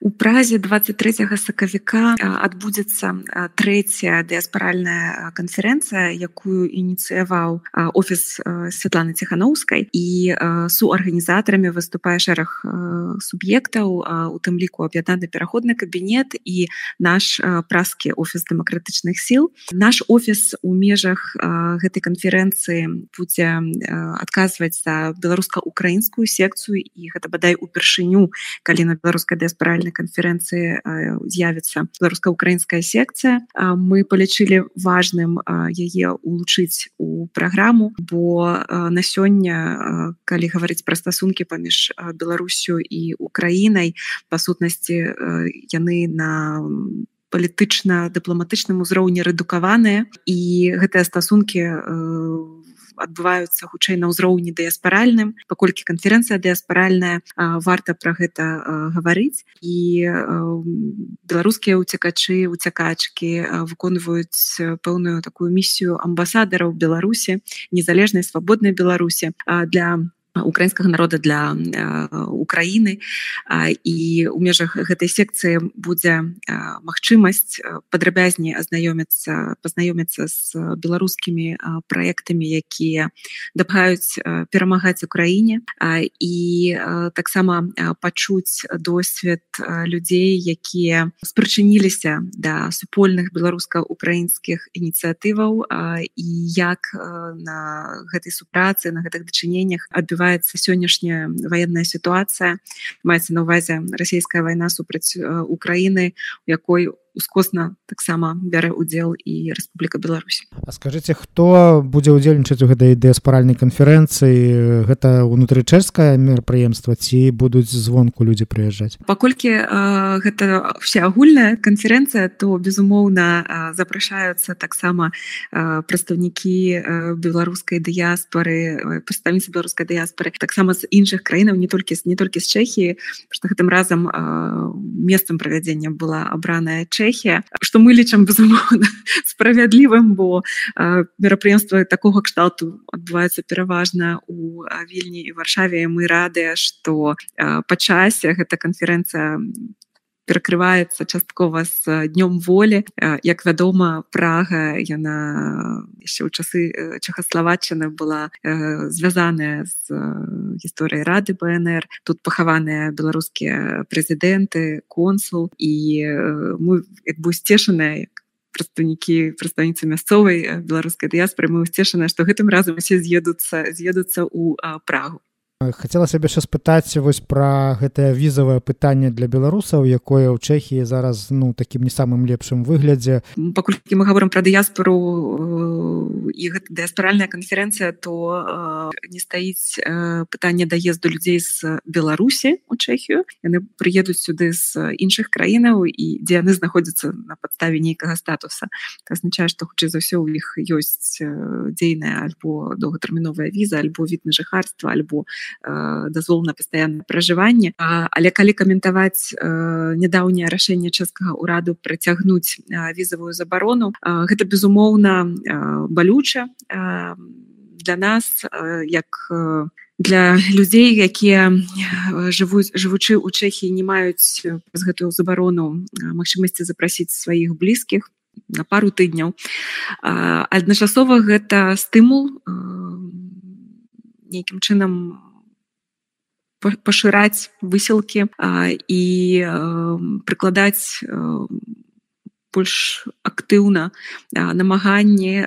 У Празе 23 сакавіка адбудзецца трэцяя дыяспаральная канферэнцыя, якую ініцыяваў офіс Святланы Ціханаўскай, і суарганізатарамі выступае шэраг суб'ектаў, у тым ліку аб'яднаны пераходны кабінет і наш празкі офіс дэмакратычных сіл. Наш офіс у межах гэтай канферэнцыі будзе адказваць за беларуска-украінскую секцыю, і гэта бадай упершыню, калі на беларускай дыяспаральнай канферэнцыі з'явіцца беларуска-украінская секцыя. Мы палічылі важным яе улучыць у праграму, бо на сёння, калі гаварыць пра стасункі паміж Беларусю і Украінай, па сутнасці яны на палітычна-дыпламатычным узроўні рэдукаваныя, і гэтыя стасункі адбываюцца хутчэй на ўзроўні дыяспаральным. Паколькі канферэнцыя дыяспаральная, варта пра гэта гаварыць, і беларускія уцякачкі выконваюць пэўную такую місію амбасадараў Беларусі, незалежнай свабоднай Беларусі для украінскага народа, для Украіны, і ў межах гэтай секцыі будзе магчымасць падрабязней пазнаёміцца з беларускімі праектамі, якія дапамагаюць перамагаць Украіне, і таксама пачуць досвед людзей, якія спрычыніліся да супольных беларуска-украінскіх ініцыятываў, і як на гэтай супрацы, на гэтых дачыненнях адбываецца сённяшняя ваенная сітуацыя. Маецца на ўвазе расійская вайна супраць Украіны, у якой ускосна таксама бярэ ўдзел і Рэспубліка Беларусь. А скажыце, хто будзе ўдзельнічаць у гэтай дыяспаральнай канферэнцыі? Гэта ўнутрычэшскае мерапрыемства ці будуць звонку людзі прыязджаць? Паколькі гэта ўсеагульная канферэнцыя, то безумоўна запрашаюцца таксама прадстаўнікі беларускай дыяспары, прадстаўніцы беларускай дыяспары, таксама з іншых краінаў, не толькі з Чэхіі, што гэтым разам месцам правядзення была абраная Чэхія, што мы лічым безумоўна справядлівым, бо мерапрыемствы такога кшталту адбываюцца пераважна у Вільні і Варшаве, і мы радыя, што па часе гэта канферэнцыя перакрываецца часткова з днём волі. Як вядома, Прага, яна яшчэ ў часы Чэхаславаччыны была звязаная з гісторыяй Рады БНР. Тут пахаваныя беларускія прэзідэнты, консул, і мы як бы сцешаныя, прадстаўніцы мясцовай беларускай дыяспары, мы сцешаныя, што гэтым разам усе з'едуцца ў Прагу. Хацелася б яшчэ спытаць вось пра гэтае візавае пытанне для беларусаў, якое ў Чэхіі зараз такім не самым лепшым выглядзе. Паколькі мы гаворым пра дыяспару і гэта дыяспаральная канферэнцыя, то не стаіць пытанне даезду людзей з Беларусі ў Чэхію. Яны прыедуць сюды з іншых краінаў, і дзе яны знаходзяцца на падставе нейкага статуса. Гэта азначае, што хутчэй за ўсё ў іх ёсць дзейная альбо доўгатэрміновая віза, альбо від на жыхарства, альбо дазвол на пастаяннае пражыванне. Але калі каментаваць нядаўняе рашэнне чэшскага ўраду працягнуць візавую забарону, гэта безумоўна балюча для нас, як для людзей, якія жывучы ў Чэхіі не маюць з гэтую забарону магчымасці запрасіць сваіх блізкіх на пару тыдняў. Адначасова гэта стымул нейкім чынам пашыраць высілкі і прыкладаць больш актыўна намаганні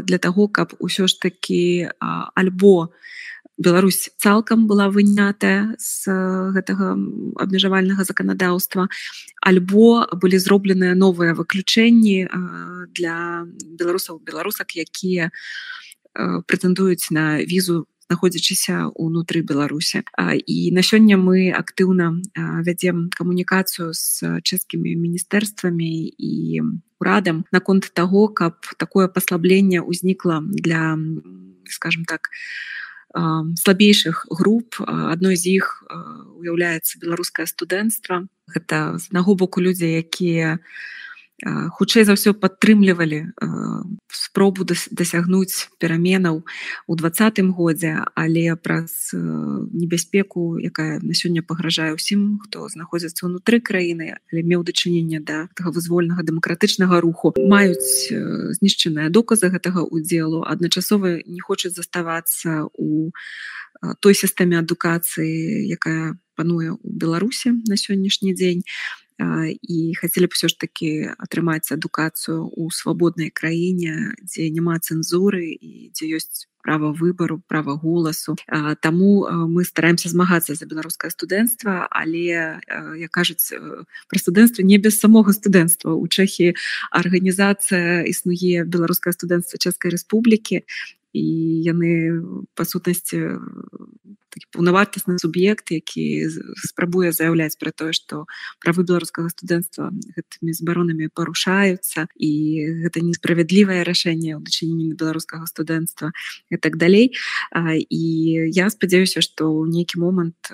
для таго, каб усё ж такі альбо Беларусь цалкам была вынятая з гэтага абмежавальнага заканадаўства, альбо былі зробленыя новыя выключэнні для беларусак, якія прэтэндуюць на візу, знаходзячыся ўнутры Беларусі. І на сёння мы актыўна вядзем камунікацыю з чэшскімі міністэрствамі і урадам наконт таго, каб такое паслабленне ўзнікла для, скажем так, слабейшых груп. Адной з іх уяўляецца беларускае студэнцтва. Гэта з аднаго боку людзі, якія хутчэй за ўсё падтрымлівалі спробу дасягнуць пераменаў у 2020 годзе, але праз небяспеку, якая на сёння пагражае ўсім, хто знаходзіцца ўнутры краіны, але меў дачыненне да таго вызвольнага дэмакратычнага руху, маюць знішчаныя доказы гэтага ўдзелу, адначасова не хочуць заставацца у той сістэме адукацыі, якая пануе ў Беларусі на сённяшні дзень, і хацелі б ўсё ж такі атрымаць адукацыю ў свабоднай краіне, дзе няма цэнзуры і дзе ёсць права выбару, права голасу. Таму мы стараемся змагацца за беларускае студэнцтва, але, як кажуць, пра студэнцтва не без самога студэнцтва. У Чэхіі арганізацыя існуе беларускае студэнцтва Чэшскай Рэспублікі, і яны, па сутнасці, такі паўнавартасны суб'ект, які спрабуе заяўляць пра тое, што правы беларускага студэнцтва гэтымі забаронамі парушаюцца, і гэта несправядлівае рашэнне ў дачыненні беларускага студэнцтва і так далей. І я спадзяюся, што ў нейкі момант,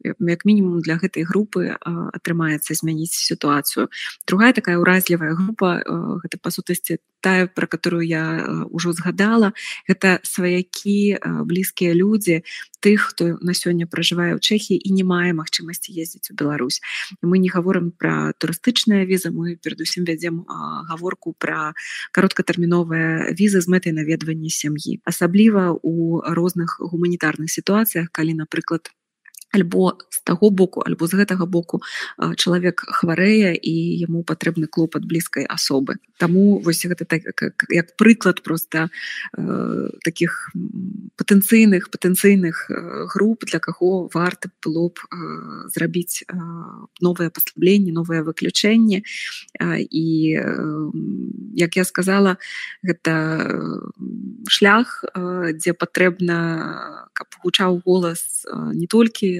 як мінімум для гэтай групы, атрымаецца змяніць сітуацыю. Другая такая ўразлівая група, гэта, па сутнасці, тая, пра которую я ўжо згадала, гэта сваякі, блізкія людзі тых, хто на сёння пражывае ў Чэхіі і не мае магчымасці ездзіць у Беларусь. Мы не гаворым пра турыстычныя візы, мы перадусім вядзем гаворку пра кароткатэрміновыя візы з мэтай наведвання сям'і. Асабліва ў розных гуманітарных сітуацыях, калі, напрыклад, альбо з таго боку, альбо з гэтага боку чалавек хварэе і яму патрэбны клопат блізкай асобы. Таму вось гэта так, як прыклад проста такіх патэнцыйных груп, для каго варта было б зрабіць новае паслабленне, новае выключэнне. І, як я сказала, гэта шлях, дзе патрэбна, каб гучаў голас не толькі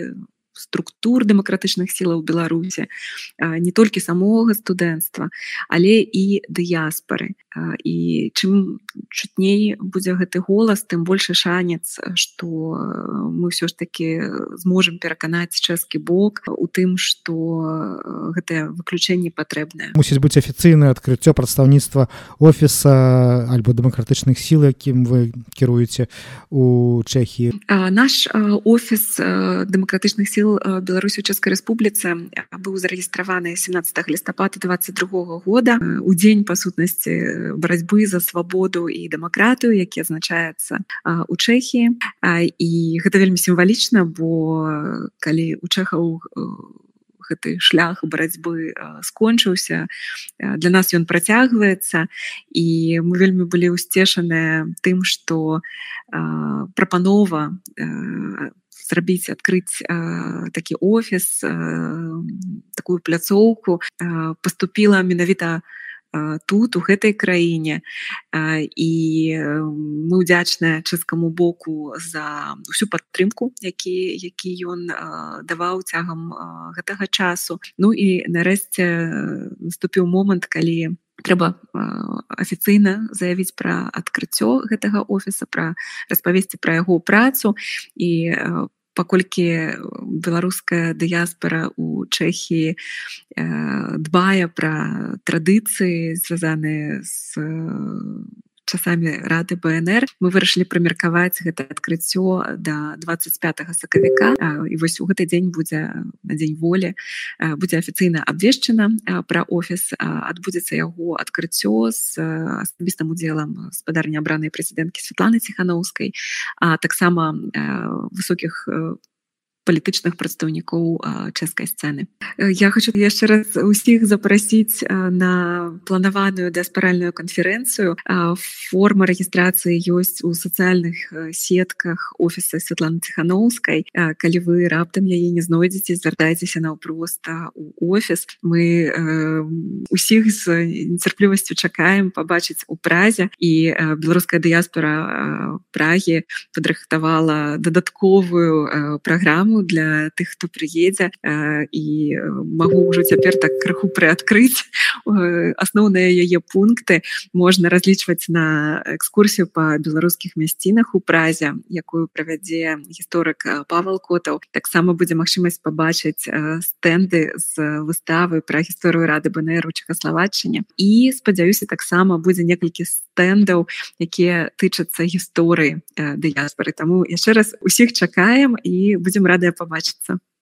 структур дэмакратычных сілаў Беларусі, не толькі самога студэнцтва, але і дыяспары. І чым чутней будзе гэты голас, тым большы шанец, што мы ўсё ж такі зможам пераканаць чэшскі бок у тым, што гэтае выключэнне патрэбнае. Мусіць быць афіцыйнае адкрыццё прадстаўніцтва офіса альбо дэмакратычных сіл, якім вы кіруеце у Чэхіі. Наш офіс дэмакратычных сіл Беларусі ў Чэшскай Рэспубліцы быў зарэгістраваны 17 лістапада 2022 года у дзень, па сутнасці, барацьбы за свабоду і дэмакратыю, які адзначаецца у Чэхіі. І гэта вельмі сімвалічна, бо калі у чэхаў гэты шлях барацьбы скончыўся, для нас ён працягваецца, і мы вельмі былі ўсцешаныя тым, што прапанова зрабіць, адкрыць такі офіс, такую пляцоўку паступіла менавіта тут, у гэтай краіне. І мы ўдзячныя чэшскаму боку за ўсю падтрымку, які ён даваў цягам гэтага часу. Ну і нарэшце наступіў момант, калі трэба афіцыйна заявіць пра адкрыццё гэтага офіса, распавесці пра яго працу. І паколькі беларуская дыяспара ў Чэхіі дбае пра традыцыі, звязаныя з часамі Рады БНР, мы вырашылі прымеркаваць гэта адкрыццё да 25 сакавіка. І вось у гэты дзень будзе, на дзень волі, будзе афіцыйна абвешчана пра офіс, адбудзецца яго адкрыццё з асабістым удзелам спадарні абранай прэзідэнткі Святланы Ціханаўскай, а таксама высокіх палітычных прадстаўнікоў чэшскай сцэны. Я хочу яшчэ раз усіх запрасіць на планаваную дыяспаральную канферэнцыю. Форма рэгістрацыі ёсць у сацыяльных сетках офіса Святланы Ціханаўскай. Калі вы раптам яе не знойдзеце, звяртайцеся наўпрост у офіс. Мы усіх з нецярплівасцю чакаем пабачыць у Празе, і беларуская дыяспара Прагі падрыхтавала дадатковую праграму праграму для тых, хто прыедзе, і магу ўжо цяпер так крыху прыадкрыць асноўныя яе пункты. Можна разлічваць на экскурсію па беларускіх мясцінах у Празе, якую правядзе гісторык Павел Котаў. Таксама будзе магчымасць пабачыць стэнды з выставы пра гісторыю Рады БНР у Чэхаславаччыне. І, спадзяюся, таксама будзе некалькі стэндаў, якія тычацца гісторыі дыяспоры. Таму яшчэ раз усіх чакаем і будзем радыя пабачыцца.